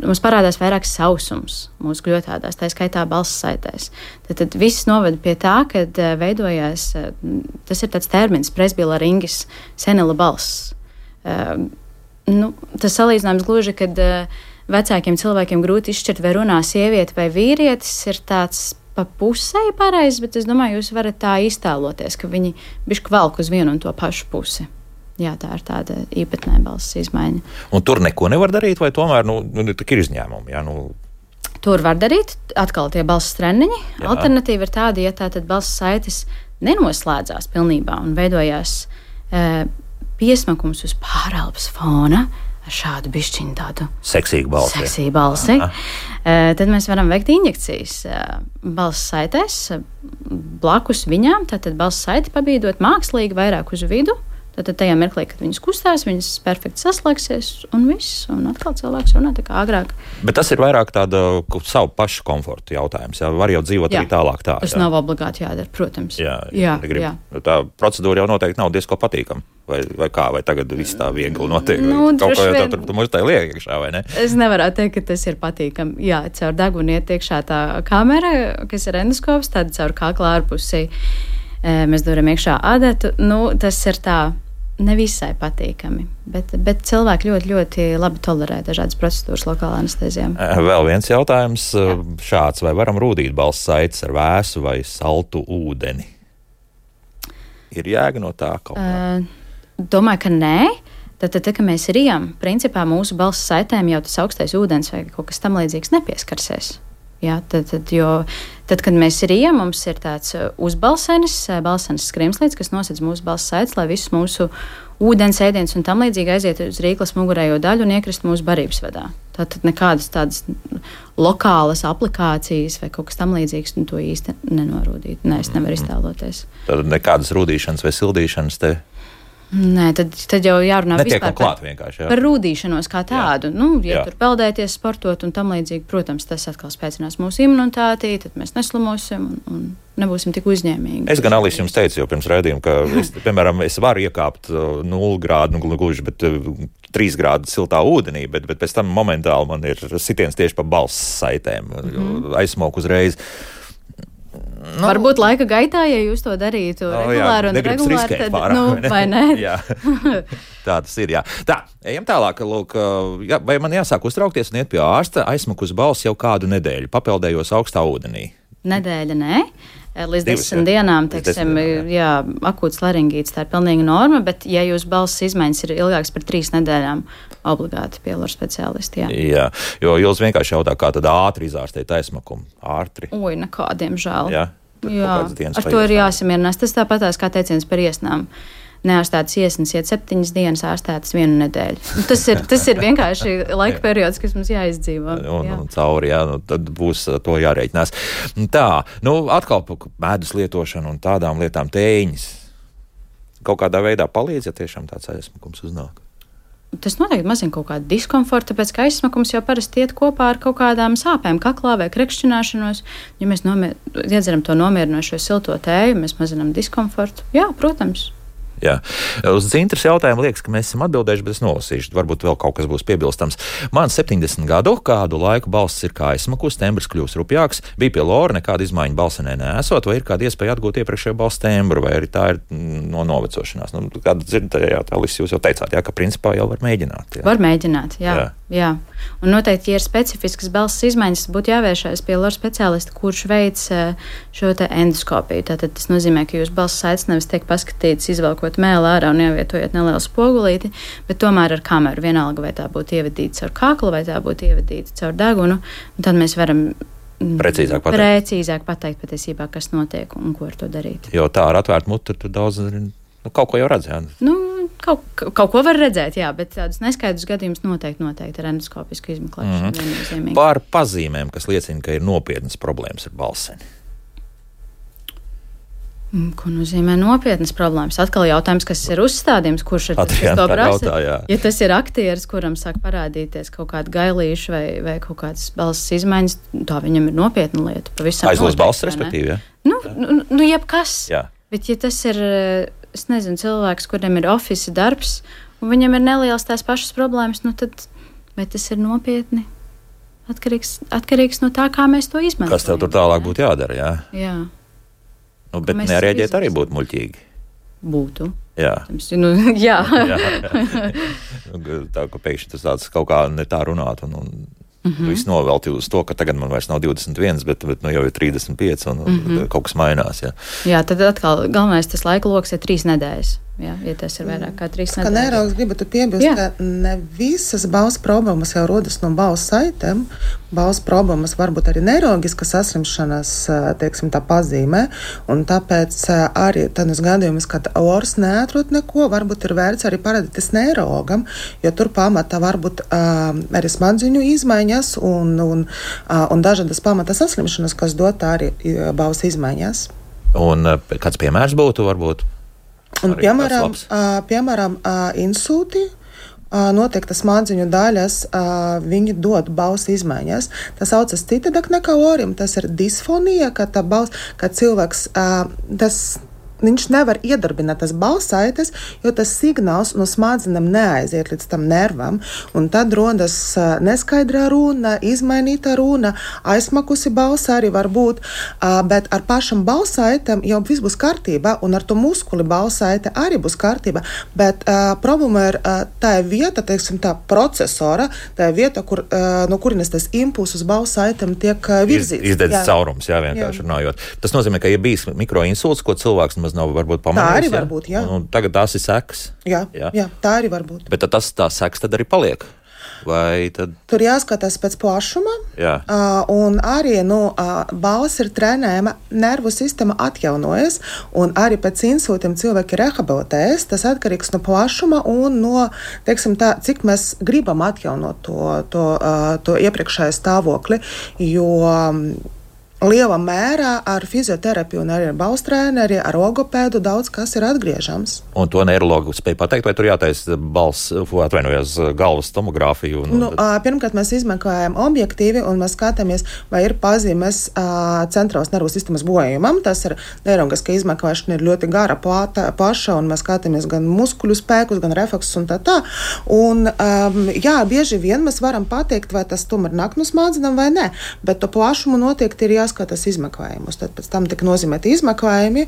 mums parādās vairāk sausums mūsu gļotādās, tā skaitā balss saitēs. Tad viss noved pie tā, kad veidojās, tas ir tāds termins, presbilaringis, senila balss. Tas salīdzinājums gluži, kad vecākiem cilvēkiem grūti izšķirt, vai runā sieviete vai vīrietis, ir tāds pa pusei pareizs, bet es domāju, jūs varat tā iztēloties, ka viņi bišķi velk uz vienu un to pašu pusi. Jā, tā ir tāda īpatnē balss izmaiņa. Un tur neko nevar darīt, vai tomēr ir izņēmumi? Jā, Tur var darīt, atkal tie balss treniņi. Jā. Alternatīva ir tāda, ja tātad balss saites nenoslēdzās pilnībā un veidojās piesmakums uz pārelpas fona ar šādu bišķiņu tādu seksīgu balsi. Tad mēs varam veikt injekcijas balss saitēs blakus viņām, tātad balss saiti pabīdot mākslīgi vairāk uz vidu. Tad tajā mirklī, kad viņas kustās, viņas perfekti saslēgsies un viss, un atkal cilvēks runā tā kā agrāk. Bet tas ir vairāk tāda savu pašu komforta jautājums. Jā, var jau dzīvot arī tālāk tā. Tas nav obligāti jādara, protams. Jā. Tā procedūra jau noteikti nav diezko patīkama. Vai kā, vai tagad viss tā viegli notiek? Kaut kā jau tur mums tā liek iekšā, vai ne? Es nevaru teikt, ka tas ir patīkami. Jā, caur degunu iet iekšā tā kamera, kas ir endoskops, tad caur kakla ārpusī. Mēs duram iekšā adatu. Tas ir tā nevisai patīkami, bet cilvēki ļoti labi tolerē dažādas procedūras lokālā anestezijā. Vēl viens jautājums šāds. Vai varam rūdīt balss saites ar vēsu vai saltu ūdeni? Ir jēga no tā kaut kā? Domāju, ka nē. Tad, kad mēs rijam, principā mūsu balss saitēm jau tas augstais ūdens vai kaut kas tam līdzīgs nepieskarsies. Jā, tad, kad mēs rijam, mums ir tāds uzbalsenis skrimslīds, kas nosedz mūsu balss saites, lai visus mūsu ūdens, ēdiens un tam līdzīgi aiziet uz rīklas mugurējo daļu un iekrist mūsu barības vadā. Tātad nekādas tādas lokālas aplikācijas vai kaut kas tam līdzīgs, to īsti nenorūdīt. Nē, es nevaru iztēloties. Tad nekādas rūdīšanas vai sildīšanas te? Nē, tad jau jārunā vispār par rūdīšanos kā tādu. Tur peldēties, sportot un tam līdzīgi, protams, tas atkal spēcinās mūsu imunitāti, tad mēs neslimosim un nebūsim tik uzņēmīgi. Es gan, Alis, jums teicu jau pirms raidījuma, ka, es varu iekāpt 0 grādu, gluži, bet 3 grādu siltā ūdenī, bet pēc tam momentāli man ir sitiens tieši pa balss saitēm, aizsmok uzreiz. Varbūt laika gaitā, ja jūs to darītu regulāri un regulāri, tad, vai ne? Jā. Tā tas ir, jā. Tā, ejam tālāk. Lūk, vai man jāsāk uztraukties un iet pie ārsta, aizsmakus balss jau kādu nedēļu, papeldējos augstā ūdenī? Nedēļa, nē. Līdz 10 dienām, teiksim, akūts laringīts, tā ir pilnīga norma, bet ja jūs balss izmaiņas ir ilgāks par 3 nedēļām, obligāti pie lora speciālisti, Jā, jo jūs vienkārši jautā, kā tad ātri izārstēt aizsmakumu? Ātri? Nekādiem žēl. Jā, ar to ir jāsamierinās. Tas tāpatās kā teiciens par iesnām. neārstētas iesnas iet 7 dienas, ārstētas 1 nedēļu. Tas ir vienkārši laika periods, kas mums jāizdzīvo. Un cauri, tad būs to jārēķinās. Tā, atkal medus lietošana un tādām lietām tēņas. Kaut kādā veidā palīdz, ja tiešām tāds aizsmakums uznāk. Tas noteikti mazina kaut kādu diskomfortu, tāpēc ka aizsmakums jau parasti iet kopā ar kaut kādām sāpēm kaklā vai krekšķināšanos. Ja mēs iedzeram to nomierinošo silto tēju, mēs mazinām diskomfortu. Jā, protams. Jā. Uz Dzintras jautājumu liekas, ka mēs esam atbildējuši, bet es nolasīšu. Varbūt vēl kaut kas būs piebilstams. Man 70 gadu, kādu laiku balss ir kā aizsmakus, tembrs kļūst rupjāks, bija pie Lora, nekāda izmaiņa balsenē neesot, vai ir kāda iespēja atgūt iepriekšējo balss tembru, vai arī tā ir no novecošanās. Kāda dzirdējāt, Alis, jūs jau teicāt, ka principā jau var mēģināt. Jā. Var mēģināt, jā. Un noteikti, ja ir specifiskas balss izmaiņas, būtu jāvēršās pie Lora speciālista, kurš veic šo te endoskopiju. Tātad tas nozīmē, ka jūsu balss saites nevis tiek paskatīts, izvelkot mēli ārā un ievietojot nelielu spogulīti, bet tomēr ar kameru, vienalga, vai tā būtu ievadīta caur kaklu, vai tā būtu ievadīta caur degunu, un tad mēs varam precīzāk pateikt patiesībā, kas notiek un ko ar to darīt. Jo tā ar atvērtu mutu tur daudz kaut ko jau redz, jā? Kaut ko var redzēt, jā, bet tādus neskaidrus gadījumus noteikti ar endoskopisku izmeklēšanu viennozīmīgi. Par pazīmēm, kas liecina, ka ir nopietnas problēmas ar balseni. Ko nozīmē nopietnas problēmas? Atkal jautājums, kas ir uzstādījums, kurš ir tas, kas to prasa. Ja tas ir aktieris, kuram sāk parādīties kaut kāda gailīša vai kaut kādas balss izmaiņas, tā viņam ir nopietna lieta. Aizlos balss, respektīvi, ja? Jebkas. Jā. Bet ja tas ir, es nezinu, cilvēks, kuriem ir ofisa darbs, un viņam ir nelielas tās pašas problēmas, tad vai tas ir nopietni? Atkarīgs no tā, kā mēs to izmantojam. Kas tev tur tālāk būtu jādara, jā? Jā. Bet nereaģēt arī būtu muļķīgi. Būtu. Jā. Jā. Tā, ka pēkšņi tas tāds kaut kā ne tā runāt un viss novelti uz to, ka tagad man vairs nav 21, bet jau ir 35 un kaut kas mainās. Jā, tad atkal galvenais tas laika loks ir 3 nedēļas. Jā, ja tas ir vairāk kā 3 nedēļas. Kā neiraugs gribētu piebilst, ka ne visas balss problēmas jau rodas no balss saitēm. Balss problēmas varbūt arī neirogiskas saslimšanas, teiksim, tā pazīmē, un tāpēc arī tādus gadījumus, kad ors neatrod neko, varbūt ir vērts arī parādīties neirogam, jo tur pamatā varbūt arī smadziņu izmaiņas un dažādas pamata saslimšanas, kas dot arī balss izmaiņas. Un kāds piemērs būtu varbūt? Un, piemēram, insūti, noteiktas smadziņu daļas, viņi dod balss izmaiņas. Tas saucas citādāk nekā orim, tas ir disfonija, kad cilvēks, viņš nevar iedarbināt tas balss saites, jo tas signāls no smadzenēm neaiziet līdz tam nervam, un tad rodas neskaidra runa, izmainīta runa, aizmakusi balss arī var būt, bet ar pašam balss saitēm jau viss būs kārtībā, un ar to muskuli balss saite arī būs kārtībā, bet problēma ir tā vieta, teiksim, tā procesora, tā vieta, no kurienes tas impulss uz balss saitēm tiek virzīts. Izdedz caurums, vienkārši runājot. Tas nozīmē, ka ja bijis mikroinsults, ko cilvēks nav varbūt pamanījis. Tā arī var būt, jā. Un tagad tās ir sekas. Jā, tā arī var būt. Bet tās sekas tad arī paliek? Vai tad... Tur jāskatās pēc plašuma. Jā. Un arī, balss ir trenējama, nervu sistēma atjaunojas, un arī pēc insūtiem cilvēki rehabilitējas. Tas atkarīgs no plašuma un no, teiksim tā, cik mēs gribam atjaunot to iepriekšējo stāvokli, jo... Lielā mērā ar fizioterapiju un arī ar balss treneri, ar logopēdu daudz kas ir atgriežams. Un to neirologu spēj pateikt, vai tur jātaisa galvas tomogrāfiju? Pirmkārt, mēs izmeklējam objektīvi un mēs skatāmies, vai ir pazīmes centrālās nervu sistēmas bojājumam. Tas ir neirogiska izmeklēšana, ir ļoti gara, plaša, un mēs skatāmies gan muskuļu spēkus, gan refleksus un tā. Un, bieži vien mēs varam pateikt, vai tas tomēr nāk no smadzenēm vai nē, bet to plašumu noteikti ir jāskatās izmeklējumus. Tad pēc tam tika nozīmēti izmeklējumi,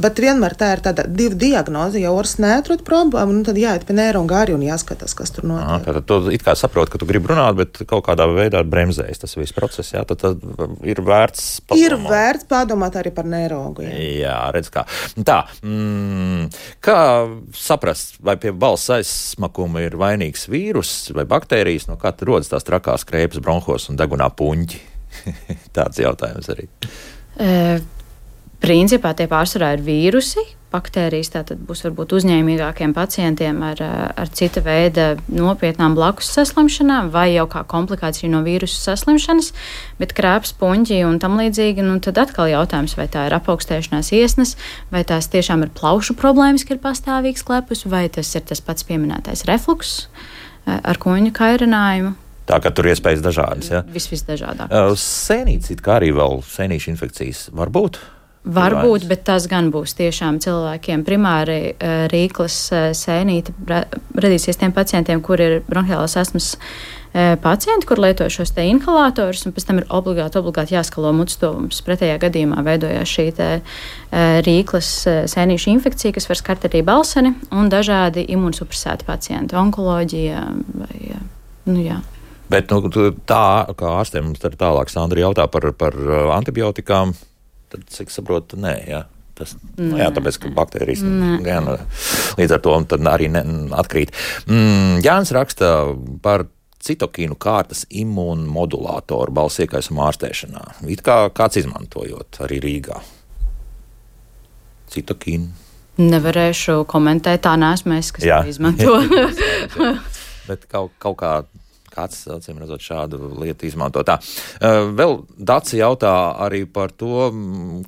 bet vienmēr tā ir tāda 2 diagnoze, ja ors neatrod problēmu, tad jāiet pie neirologa arī un jāskatās, kas tur notiek. Tātad tu it kā saproti, ka tu gribi runāt, bet kaut kādā veidā bremzējas tas viss process, jā, tad ir vērts padomāt. Ir vērts padomāt arī par neirologu. Jā, redz kā. Tā, kā saprast, vai pie balss aizsmakuma ir vainīgs vīrus vai baktērijas, no kā rodas tās trakās krēpes bronhos un degunā puņķi? Tāds jautājums arī. Principā tie pārsvarā ir vīrusi, baktērijas, tātad būs varbūt uzņēmīgākiem pacientiem ar cita veida nopietnām blakus saslimšanām vai jau kā komplikācija no vīrusu saslimšanas, bet krāps, puņķi un tam līdzīgi, tad atkal jautājums, vai tā ir apaugstēšanās iesnas, vai tās tiešām ir plaušu problēmas, ka ir pastāvīgs klepus, vai tas ir tas pats pieminētais refluks ar kuņu kairinājumu. Tā kā tur iespējas dažādas, ja? Visdažādākās. Sēnītes it kā arī vēl sēnīšu infekcijas var būt? Varbūt, bet tas gan būs tiešām cilvēkiem. Primāri rīklas sēnīte radīsies tiem pacientiem, kur ir bronhiālās astmas pacienti, kur lieto šos te inhalatorus, un pēc tam ir obligāti jāskalo mutstuvums. Pretējā gadījumā veidojās šī te rīklas sēnīšu infekcija, kas var skart arī balseni, un dažādi imunsupresēti pacienti, onkoloģija vai, jā. Bet tā, kā ārstiem mums tālāk Sandra jautā par antibiotikām, tad, cik saprotu, nē, jā. Tas, jā, tāpēc, ka baktērijas līdz ar to tad arī atkrīt. Jānis raksta par citokīnu kārtas imūnmodulātoru balss iekaisuma ārstēšanā. It kā kāds izmantojot arī Rīgā. Citokīnu. Nevarēšu komentēt, tā neesmu es, kas to izmanto. Bet kaut kā kāds, acīm redzot, šādu lietu izmanto. Tā. Vēl Daci jautā arī par to,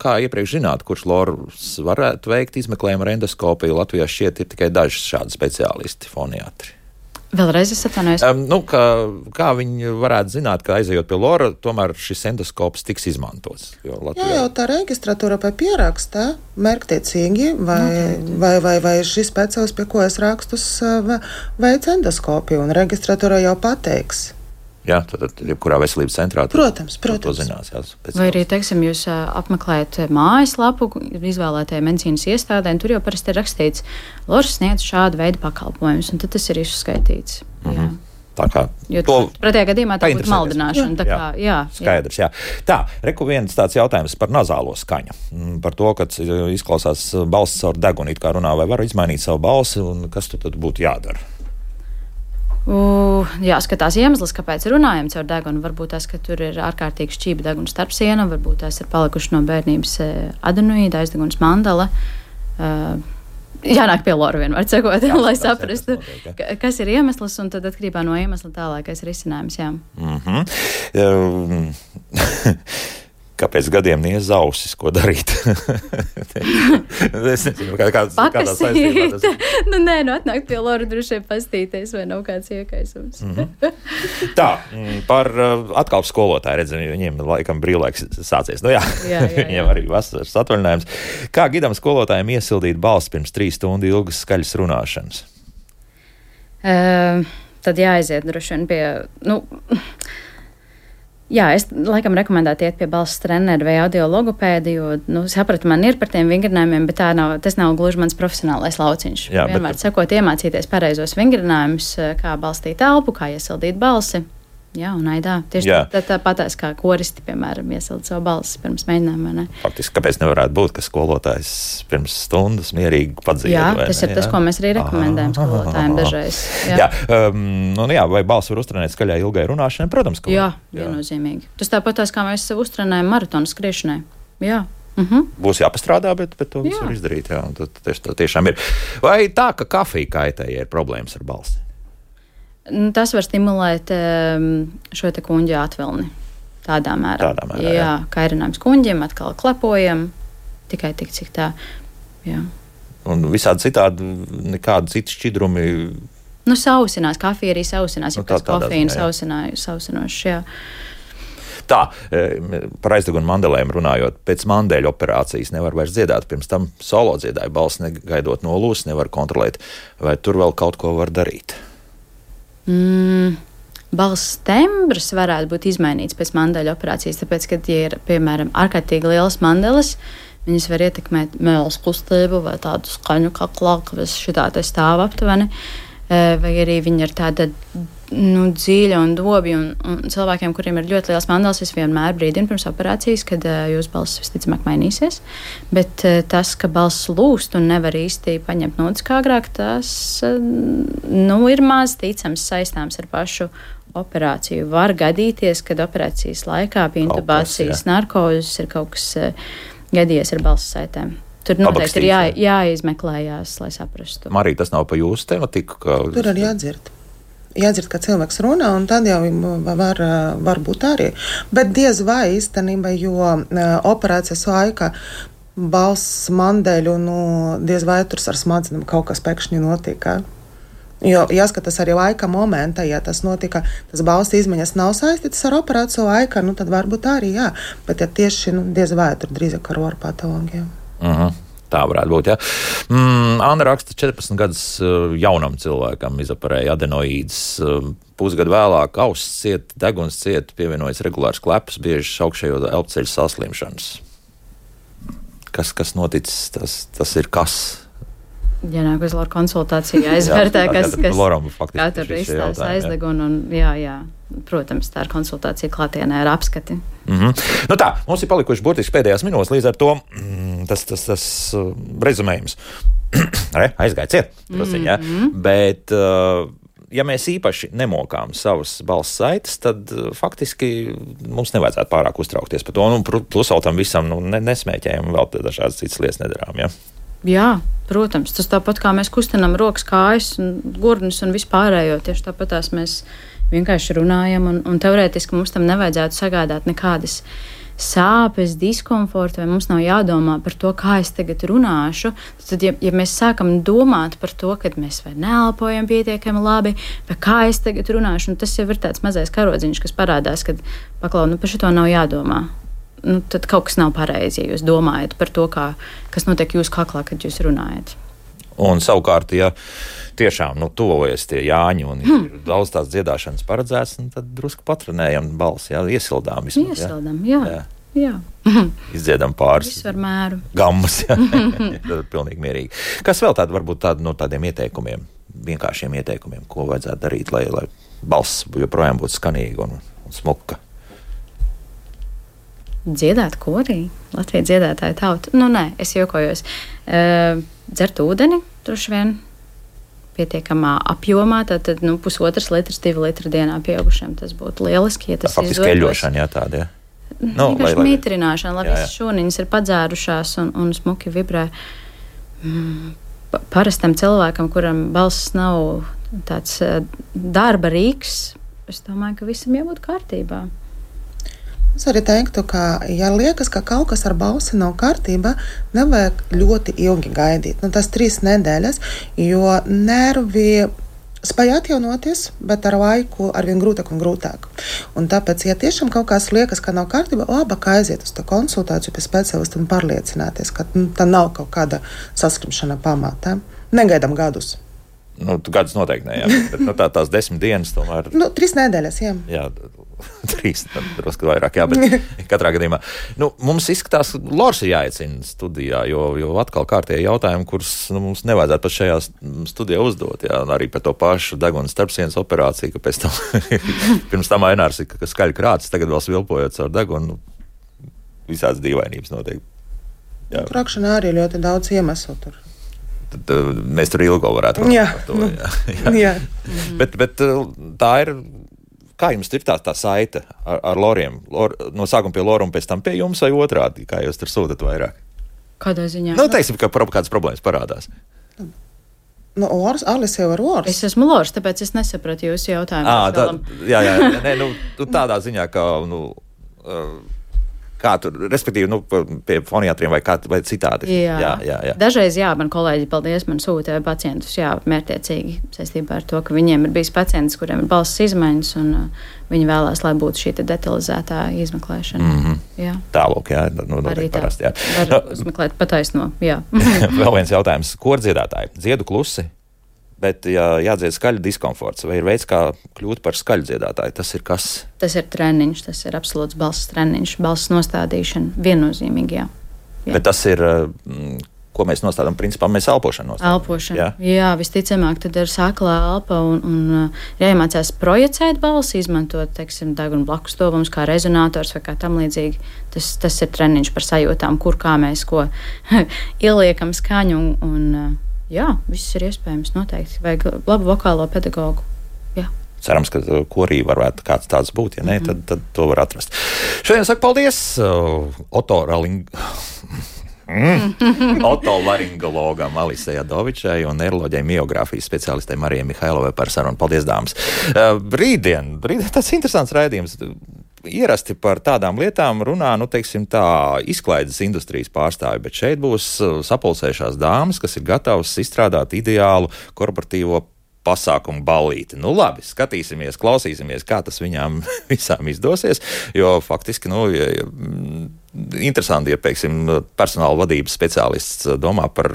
kā iepriekš zināt, kurš lors varētu veikt izmeklējumu ar endoskopiju. Latvijā šķiet ir tikai daži šādi speciālisti, foniatri. Vēlreiz es atvainojos. Kā viņi varētu zināt, ka aizejot pie lora, tomēr šis endoskops tiks izmantots? Jā, jau tā registratūra vai pierakstā mērķtiecīgi, vai šis speciālists, pie ko es rakstus, veic endoskopiju, un registratūra jau pateiks. Jā, tad jebkurā veselības centrā. Protams. To zinās, jā, vai arī, teiksim, jūs apmeklējat mājaslapu izvēlētajai medicīnas iestādē, un tur jau parasti ir rakstīts, lors sniedz šādu veidu pakalpojumus, un tad tas ir izskaitīts. Jā. Tā kā pretējā gadījumā tā būtu maldināšana. Tā kā, jā. Skaidrs, jā. Tā, reku viens tāds jautājums par nazālo skaņu. Par to, kad izklausās balss caur degunu, it kā runā, vai var izmainīt savu balsi, un kas tad būtu jādara? Jāskatās iemesls, kāpēc runājam caur degunu. Varbūt tas, ka tur ir ārkārtīgi šķība deguna starp sienu, varbūt tās ir palikuši no bērnības adenoīda, aizdegunas mandala. Jānāk pie lora vienmēr cekot, lai saprastu, kas ir iemesls, un tad atkarībā no iemesla tālākais risinājums, jā. Kāpēc gadiem niez ausis, ko darīt? Es nezinu, kādā saistībā tas ir. Atnāk pie lora droši vien pastīties, vai nav kāds iekaisums. Tā, par atkal skolotāju redzam, viņiem laikam brīvlaiks sācies. Jā. Viņiem arī vasaras atvaļinājums. Kā gidam skolotājiem iesildīt balsi pirms 3 stundu ilgas skaļas runāšanas? Tad jāaiziet droši vien pie... Jā, es laikam rekomendētu iet pie balss treneru vai audiologopēdi, jo, sapratu, man ir par tiem vingrinājumiem, bet tas nav gluži mans profesionālais lauciņš. Jā, vienmēr sakot, iemācīties pareizos vingrinājumus, kā balstīt elpu, kā iesildīt balsi. Jā, un aidā. Tieši tāpatās kā koristi, piemēram, iesild savu balsi pirms mēģinājuma, ne? Faktiski, kāpēc nevarētu būt, ka skolotājs pirms stundas mierīgi padzied? Jā, tas ir tas, ko mēs arī rekomendējam skolotājiem dažreiz. Jā, vai balsi var uztrenēt skaļai ilgai runāšanai? Protams, ka jā, viennozīmīgi. Tas tāpatās, kā mēs sev uztrenējam maratonu skriešanai. Jā. Būs jāpastrādā, bet to visu var izdarīt. Jā, tā tiešām ir. Vai tā, ka kafija kaitē, ja ir problēmas ar balsi? Tas var stimulēt šo te kuņģa atvilni. Tādā mērā. Jā, kairinājums kuņģiem, atkal klepojam, tikai tik, cik tā. Jā. Un visādi citādi, nekādi citi šķidrumi. Sausinās, kafija arī sausinās, jo pēc kofīna sausinošs, jā. Tā, par aizdegunu mandelēm runājot, pēc mandēļu operācijas nevar vairs dziedāt. Pirms tam solo dziedāja balsi, negaidot nolūs, nevar kontrolēt. Vai tur vēl kaut ko var darīt? Balss tembrs varētu būt izmainīts pēc mandeļu operācijas, tāpēc, kad, ja ir, piemēram, ārkārtīgi lielas mandeles, viņas var ietekmēt mēles kustību vai tādu skaņu kaklā, kas šitā te stāv aptuveni, vai arī viņa ir tāda dziļa un dobja, un cilvēkiem, kuriem ir ļoti liels mandeles, es vienmēr brīdinu pirms operācijas, kad jūsu balss visticamāk mainīsies, bet tas, ka balss lūst un nevar īsti paņemt notis kā agrāk, tas ir maz ticams saistāms ar pašu operāciju. Var gadīties, kad operācijas laikā pie intubācijas narkozes ir kaut kas gadījies ar balss saitēm. Tur noteikti ir jāizmeklējās, lai saprastu. Marija, tas nav pa jūsu tematiku? Tur arī jādzird. Jādzird, ka cilvēks runā, un tad jau var būt arī. Bet diez vai īstenībā, jo operācijas laikā balss mandeļu, diez vai tur ar smadzenēm kaut kas pēkšņi notika. Jo jāskatās arī laika momentā, ja tas notika, tas balss izmaiņas nav saistītas ar operāciju laikā, tad varbūt arī jā. Bet ja tieši diez vai tur drīzāk ar oru patologiju. Tā varētu būt, jā. Anna raksta, 14 gadus jaunam cilvēkam izoperēja adenoīdas. Pusgadu vēlāk auss ciet, deguns ciet, pievienojas regulārs klepus, bieži augšējo elpceļu saslimšanas. Kas noticis, tas ir kas? Jānāk uz Loru konsultāciju, jāizvērtē, kas kā tur izstās aizdegunu. Jā. Protams, tā ir konsultācija klātienē ar apskati. Tā, mums ir palikuši burtiski pēdējās minūtes, līdz ar to tas rezumējums. Aizgāja ciet, prasiņā. Bet, ja mēs īpaši nemokām savas balss saites, tad faktiski mums nevajadzētu pārāk uztraukties par to. Plus vēl tam visam nesmēķējam un vēl dažādas citas lietas nedarām, ja? Jā, protams, tas tāpat kā mēs kustinām rokas, kājas, gurnas un vispārējo, tieši tāpat tās mēs vienkārši runājam, un teorētiski mums tam nevajadzētu sagādāt nekādas sāpes, diskomfortu, vai mums nav jādomā par to, kā es tagad runāšu. Tad, ja mēs sākam domāt par to, ka mēs vai neelpojam pietiekami labi, vai kā es tagad runāšu, tas jau ir tāds mazais karodziņš, kas parādās, kad paklau, par šito nav jādomā. Tad kaut kas nav pareizi, ja jūs domājat par to, kas notiek jūsu kaklā, kad jūs runājat. Un savukārt, ja tiešām tuvojas tie Jāņi un ir daudz tās dziedāšanas paredzēts, tad drusku patrenējam balsi, iesildām vismaz. Iesildām, jā. Izdziedam pāris gammas, tad ir pilnīgi mierīgi. Kas vēl varbūt no tādiem ieteikumiem, vienkāršiem ieteikumiem, ko vajadzētu darīt, lai balss joprojām būtu skanīga un smuka? Dziedāt korī, Latvijas dziedātāja tauta. Nē, es jokojos. Dzert ūdeni, droši vien, pietiekamā apjomā, tad 1,5 litrs, 2 litri dienā pieaugušiem. Tas būtu lieliski, ja tas izdotos. Faktiski eļošana, tāda, jā. Vienkārši mītrināšana, lai visas šūniņas ir padzērušās un smuki vibrē. Parastam cilvēkam, kuram balss nav tāds darba rīks, es domāju, ka visam jābūt kārtībā. Es arī teiktu, ka, ja liekas, ka kaut kas ar balsi nav kārtībā, nevajag ļoti ilgi gaidīt. Tas 3 nedēļas, jo nervi spēj atjaunoties, bet ar laiku arvien grūtāk un grūtāk. Un tāpēc, ja tiešām kaut kas liekas, ka nav kārtībā, labāk aiziet uz to konsultāciju pie specialista un pārliecināties, ka tā nav kaut kāda saslimšana pamatā. Negaidām gadus. Gadus noteikti ne, jā. Bet tās 10 dienas tomēr. 3 nedēļas, jā. Jā. 3, drusku vairāk, jā, bet katrā gadījumā. Mums izskatās, Lors ir jāiecina studijā, jo atkal kārtēji jautājumi, kurus mums nevajadzētu pat šajā studijā uzdot, jā, arī par to pašu deguna starpsienas operāciju, ka pēc tam, pirms tam Ainārs ir skaļi krācis, tagad vēl svilpojot caur degunu, visādas dīvainības notiek. Krakšanā arī ļoti daudz iemeslu tur. Tad mēs tur ilgo varētu runāt par to. Jā. Bet tā ir. Kā jums ir tā saite ar Loriem? No sākuma pie Lora un pēc tam pie jums vai otrādi? Kā jūs tur sūtat vairāk? Kādā ziņā? Teiksim, ka kādas problēmas parādās. Alis jau ar Lors. Es esmu Lors, tāpēc es nesapratu jūsu jautājumu. Tādā ziņā, ka... Kā tur, respektīvi, pie foniatriem vai citādi? Jā. Dažreiz, man kolēģi, paldies, man sūta pacientus, mērķiecīgi saistībā ar to, ka viņiem ir bijis pacients, kuriem ir balss izmaiņas, un viņi vēlās, lai būtu šī detalizētā izmeklēšana. Tālūk, jā. Arī tā. Parasti, var uzmeklēt pataisno, jā. Vēl viens jautājums. Kordziedātāji, dziedu klusi, bet jādzied skaļi diskomforts. Vai ir veids, kā kļūt par skaļu dziedātāju? Tas ir kas? Tas ir treniņš, tas ir absolūts balss treniņš, balss nostādīšana, viennozīmīgi, jā. Bet tas ir, ko mēs nostādām, principā mēs elpošanu nostādām. Elpošana, jā, visticamāk, tad ir sāklā elpa un jāiemācās projicēt balsi, izmantot, teiksim, deguna blakus tuvums kā rezonators vai kā tam līdzīgi. Tas ir treniņš par sajūtām, kur kā mēs ko ieliekam skaņu un jā, viss ir iespējams noteikti. Vajag labu vokālo pedagogu. Jā. Cerams, ka korī varētu kāds tāds būt. Ja ne, tad to var atrast. Šodien saku paldies Oto Raling. Otolaringologam Alisai Adovičai un neiroloģijai miogrāfijas speciālistei Marijai Mihailovai par sarunu. Paldies, dāmas! Rītdien tāds interesants raidījums. Ierasti par tādām lietām runā, teiksim tā, izklaides industrijas pārstāvi, bet šeit būs sapulcējušās dāmas, kas ir gatavas izstrādāt ideālu korporatīvo pasākumu ballīti. Labi, skatīsimies, klausīsimies, kā tas viņām visām izdosies, jo faktiski, interesanti, ja, pieksim, personāla vadības speciālists domā par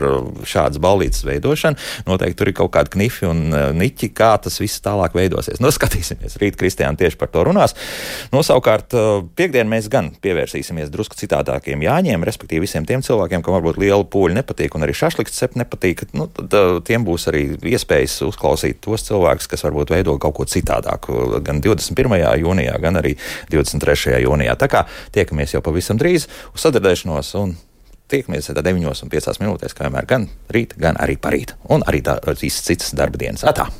šādas ballītes veidošanu. Noteikti tur ir kaut kādi knifi un niķi, kā tas viss tālāk veidosies. Skatīsimies. Rīt Kristiāna tieši par to runās. Savukārt, piekdien mēs gan pievērsīsimies drusku citādākiem jāņiem, respektīvi visiem tiem cilvēkiem, kam varbūt liela pūļa nepatīk un arī šašliks cep nepatīk. Tad tiem būs arī iespējas uzklausīt tos cilvēkus, kas varbūt veido kaut ko citādāku gan 21. jūnijā, gan arī 23. jūnijā. Tā kā tiekamies jau pavisam drīz uz sadzirdēšanos un tiekamies 9:05 minūtēs, kā vienmēr gan rīt, gan arī parīt. Un arī visas citas darba dienas. Atā!